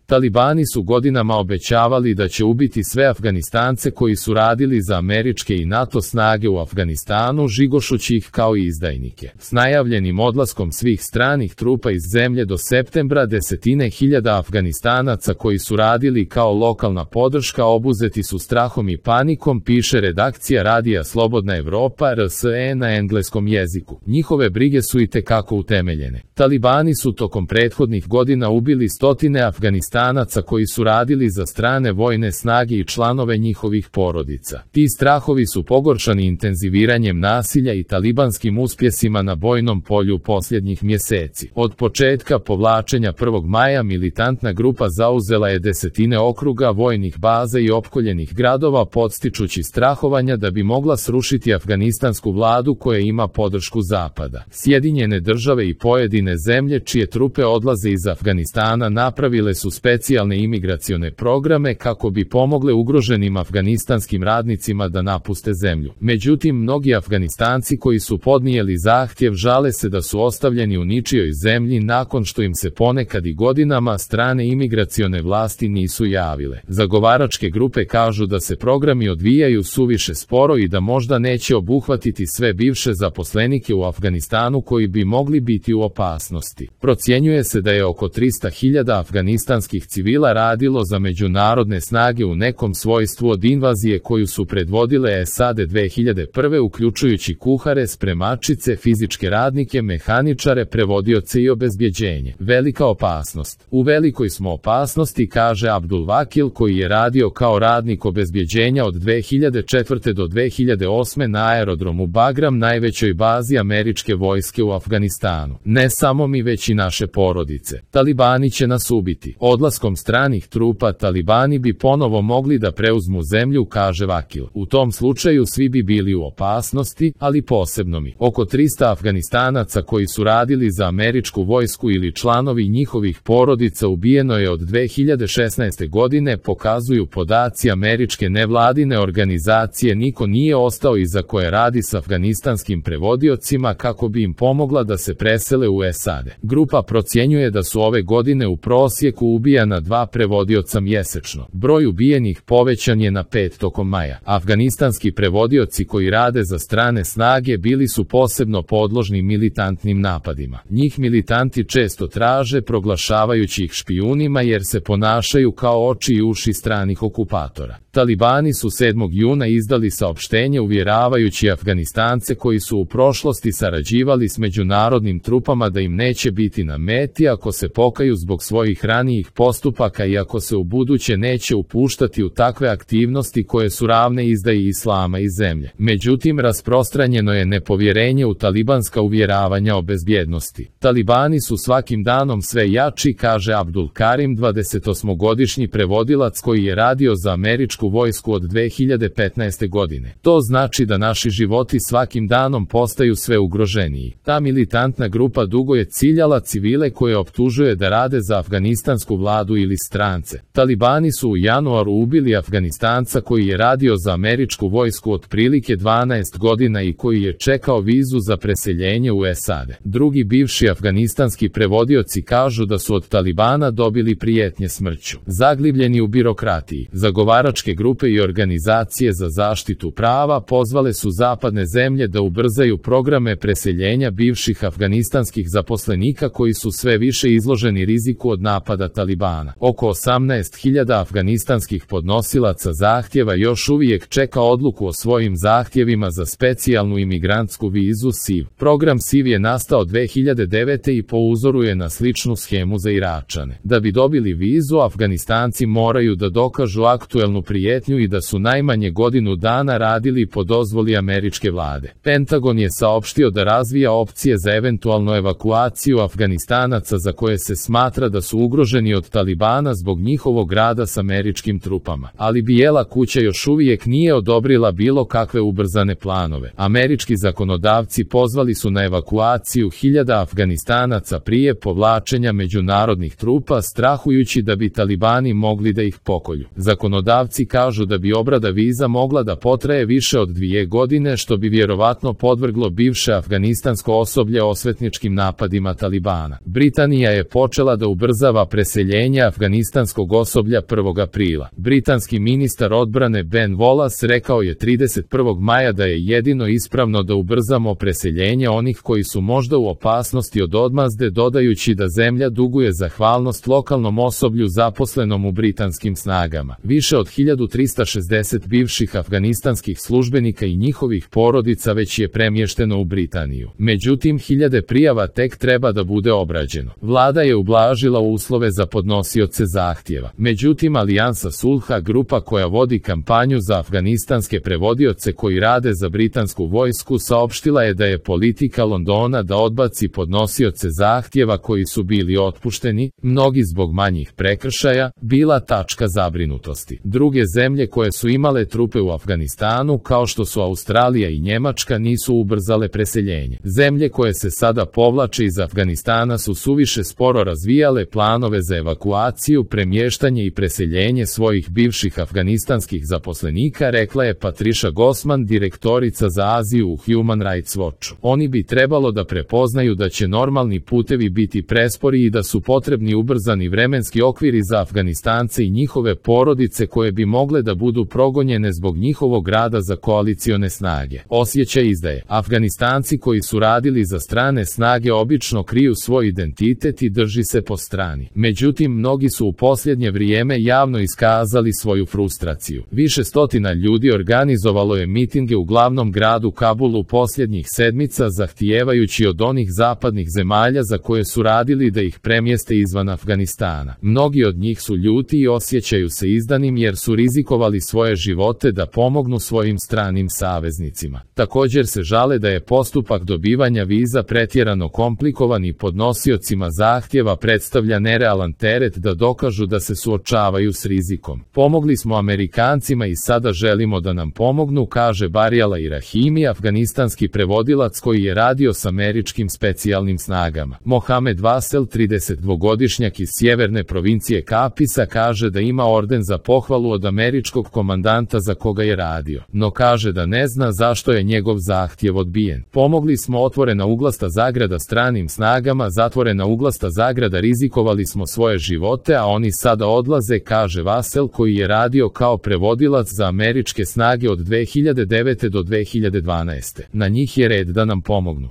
Talibani su godinama obećavali da će ubiti sve Afganistance koji su radili za američke i NATO snage u Afganistanu, žigošući ih kao izdajnike. S najavljenim odlaskom svih stranih trupa iz zemlje do septembra, desetine hiljada Afganistanaca koji su radili kao lokalna podrška obuzeti su strahom i panikom, piše redakcija radija Slobodna Evropa RSE na engleskom jeziku. Njihove brige su itekako utemeljene. Talibani su tokom prethodnih godina ubili stotine Afganistanaca koji su radili za strane vojne snage i članove njihovih porodica. Ti strahovi su pogoršani intenziviranjem nasilja i talibanskim uspjesima na bojnom polju posljednjih mjeseci. Od početka povlačenja 1. maja militantna grupa zauzela je desetine okruga, vojnih baza i opkoljenih gradova, podstičući strahovanja da bi mogla srušiti afganistansku vladu koja ima podršku Zapada. Sjedinjene države i pojedine zemlje čije trupe odlaze iz Afganistana napravile su specijalne imigracione programe kako bi pomogle ugroženim afganistanskim radnicima da napuste zemlju. Međutim, mnogi Afganistanci koji su podnijeli zahtjev žale se da su ostavljeni u ničijoj zemlji nakon što im se ponekad i godinama strane imigracione vlasti nisu javile. Zagovaračke grupe kažu da se programi odvijaju suviše sporo i da možda neće obuhvatiti sve bivše zaposlenike u Afganistanu koji bi mogli biti u opasnosti. Procjenjuje se da je oko 300.000 afganistanskih civila radilo za međunarodne snage u nekom svojstvu od invazije koju su predvodile SAD 2001. uključujući kuhare, spremačice, fizičke radnike, mehaničare, prevodioce i obezbjeđenje. Velika opasnost. U velikoj smo opasnosti, kaže Abdul Vakil koji je radio kao radnik obezbjeđenja od 2004. do 2008. na aerodromu Bagram, najvećoj bazi američke vojske u Afganistanu. Ne samo mi, već i naše porodice. Talibani će nas ubiti. Odlaskom stranih trupa Talibani bi ponovo mogli da preuzmu zemlju, kaže Vakil. U tom slučaju svi bi bili u opasnosti, ali posebno mi. Oko 300 Afganistanaca koji su radili za američku vojsku ili članovi njihovih porodica ubijeno je od 2016. godine, pokazuju podaci američke nevladine organizacije. Niko nije ostao iza koje radi s afganistanskim prevodiocima kako bi im pomogla da se presele u SAD. Grupa procjenjuje da su ove godine u prosjeku ubijana 2 prevodioca mjesečno. Broj ubijenih povećan je na 5 tokom maja. Afganistanski prevodioci koji rade za strane snage bili su posebno podložni militantnim napadima. Njih militanti često traže, proglašavajući ih špijunima jer se ponašaju kao oči i uši stranih okupatora. Talibani su 7. juna izdali saopštenje uvjeravajući Afganistance koji su u prošlosti sarađivali s međunarodnim trupama da im neće biti na meti ako se pokaju zbog svojih ranijih postupaka i ako se ubuduće neće upuštati u takve aktivnosti koje su ravne izdaji islama i zemlje. Međutim, rasprostranjeno je nepovjerenje u talibanska uvjeravanja o bezbjednosti. Talibani su svakim danom sve jači, kaže Abdul Karim, 28-godišnji prevodilac koji je radio za američku vojsku od 2015. godine. To znači da naši životi svakim danom postaju sve ugroženiji. Ta militantna grupa dugo je ciljala civile koje optužuje da rade za afganistansku vladu ili strance. Talibani su u januaru ubili Afganistanca koji je radio za američku vojsku otprilike 12 godina i koji je čekao vizu za preseljenje u SAD. Drugi bivši afganistanski prevodioci kažu da su od Talibana dobili prijetnje smrću. Zaglibljeni u birokratiji, zagovaračke grupe i organizacije za zaštitu prava pozvale su zapadne zemlje da ubrzaju programe preseljenja bivših afganistanskih zaposlenika koji su sve više izloženi riziku od napada Talibana. Oko 18.000 afganistanskih podnosilaca zahtjeva još uvijek čeka odluku o svojim zahtjevima za specijalnu imigrantsku vizu SIV. Program SIV je nastao 2009. i po uzoru je na sličnu schemu za Iračane. Da bi dobili vizu, Afganistanci moraju da dokažu aktuelnu prijetnju i da su najmanje godinu dana radili po dozvoli američke vlade. Pentagon je saopštio da razvija opcije za eventualnu evakuaciju Afganistanaca za koje se smatra da su ugroženi od Talibana zbog njihovog rada s američkim trupama. Ali Bijela kuća još uvijek nije odobrila bilo kakve ubrzane planove. Američki zakonodavci pozvali su na evakuaciju hiljada Afganistanaca prije povlačenja međunarodnih trupa, strahujući da bi Talibani mogli da ih pokolju. Zakonodavci Eksperti kažu da bi obrada viza mogla da potraje više od 2 godine, što bi vjerovatno podvrglo bivše afganistansko osoblje osvetničkim napadima Talibana. Britanija je počela da ubrzava preseljenje afganistanskog osoblja 1. aprila. Britanski ministar odbrane Ben Wallace rekao je 31. maja da je jedino ispravno da ubrzamo preseljenje onih koji su možda u opasnosti od odmazde, dodajući da zemlja duguje zahvalnost lokalnom osoblju zaposlenom u britanskim snagama. Više od 1360 bivših afganistanskih službenika i njihovih porodica već je premješteno u Britaniju. Međutim, hiljade prijava tek treba da bude obrađeno. Vlada je ublažila uslove za podnosioce zahtjeva. Međutim, Alijansa Sulha, grupa koja vodi kampanju za afganistanske prevodioce koji rade za britansku vojsku, saopštila je da je politika Londona da odbaci podnosioce zahtjeva koji su bili otpušteni, mnogi zbog manjih prekršaja, bila tačka zabrinutosti. Druge zemlje koje su imale trupe u Afganistanu, kao što su Australija i Njemačka, nisu ubrzale preseljenje. Zemlje koje se sada povlače iz Afganistana su suviše sporo razvijale planove za evakuaciju, premještanje i preseljenje svojih bivših afganistanskih zaposlenika, rekla je Patricia Gosman, direktorica za Aziju u Human Rights Watchu. Oni bi trebalo da prepoznaju da će normalni putevi biti prespori i da su potrebni ubrzani vremenski okviri za Afganistance i njihove porodice koje bi mogle da budu progonjene zbog njihovog rada za koalicione snage. Osjećaj izdaje. Afganistanci koji su radili za strane snage obično kriju svoj identitet i drži se po strani. Međutim, mnogi su u posljednje vrijeme javno iskazali svoju frustraciju. Više stotina ljudi organizovalo je mitinge u glavnom gradu Kabulu posljednjih sedmica, zahtijevajući od onih zapadnih zemalja za koje su radili da ih premjeste izvan Afganistana. Mnogi od njih su ljuti i osjećaju se izdanim jer su rizikovali svoje živote da pomognu svojim stranim saveznicima. Također se žale da je postupak dobivanja viza pretjerano komplikovan i podnosiocima zahtjeva predstavlja nerealan teret da dokažu da se suočavaju s rizikom. Pomogli smo Amerikancima i sada želimo da nam pomognu, kaže Barijala Irahimi, afganistanski prevodilac koji je radio s američkim specijalnim snagama. Mohamed Vasel, 32-godišnjak iz sjeverne provincije Kapisa, kaže da ima orden za pohvalu od američkog komandanta za koga je radio, no kaže da ne zna zašto je njegov zahtjev odbijen. Pomogli smo, otvorena uglasta zagrada, stranim snagama, zatvorena uglasta zagrada, rizikovali smo svoje živote, a oni sada odlaze, kaže Vasel, koji je radio kao prevodilac za američke snage od 2009. do 2012. Na njih je red da nam pomognu.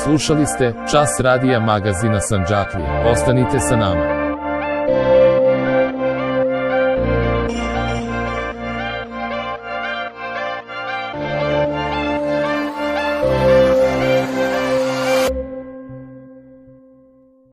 Slušali ste Čas radija magazina Sandžaklija. Ostanite sa nama.